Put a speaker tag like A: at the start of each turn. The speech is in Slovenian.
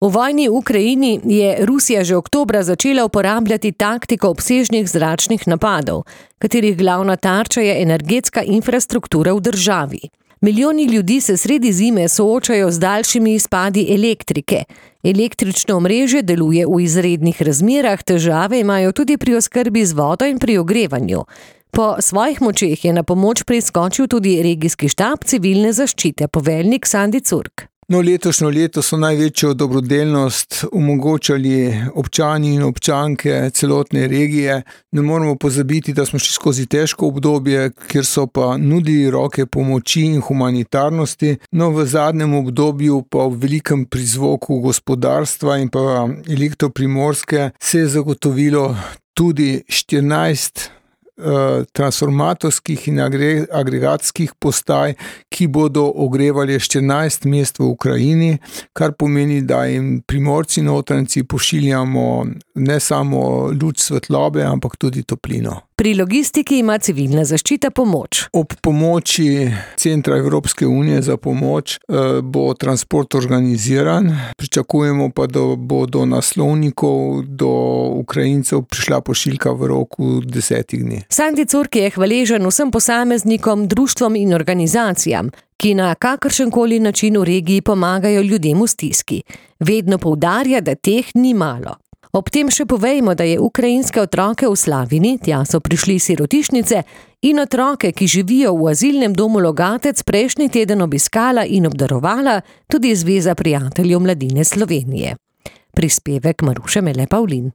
A: V vojni v Ukrajini je Rusija že oktobra začela uporabljati taktiko obsežnih zračnih napadov, katerih glavna tarča je energetska infrastruktura v državi. Milijoni ljudi se sredi zime soočajo z daljšimi izpadi elektrike. Električno omrežje deluje v izrednih razmerah, težave imajo tudi pri oskrbi z vodo in pri ogrevanju. Po svojih močeh je na pomoč priskočil tudi regijski štab civilne zaščite, poveljnik Sandi Curk.
B: Letošnje leto so največjo dobrodelnost omogočali občani in občanke celotne regije. Ne moramo pozabiti, da smo šli skozi težko obdobje, kjer so pa nudili roke pomoči in humanitarnosti. V zadnjem obdobju pa v velikem prizvoku gospodarstva in pa Elektro-Primorske se je zagotovilo tudi 14 transformatorskih in agregatskih postaj, ki bodo ogrevali 14 mest v Ukrajini, kar pomeni, da jim Primorci notranjci pošiljamo ne samo luč svetlobe, ampak tudi toplino.
A: Pri logistiki ima civilna zaščita pomoč.
B: Ob pomoči Centra Evropske unije za pomoč bo transport organiziran. Pričakujemo pa, da bo do naslovnikov, do Ukrajincev prišla pošiljka v roku 10 dni.
A: Sandi Curk je hvaležen vsem posameznikom, društvom in organizacijam, ki na kakršenkoli način v regiji pomagajo ljudem v stiski. Vedno poudarja, da teh ni malo. Ob tem še povejmo, da je ukrajinske otroke v Slavini, tja so prišli sirotišnice, in otroke, ki živijo v azilnem domu Logatec, prejšnji teden obiskala in obdarovala tudi Zveza prijateljev mladine Slovenije. Prispevek Maruše Mele Pavlin.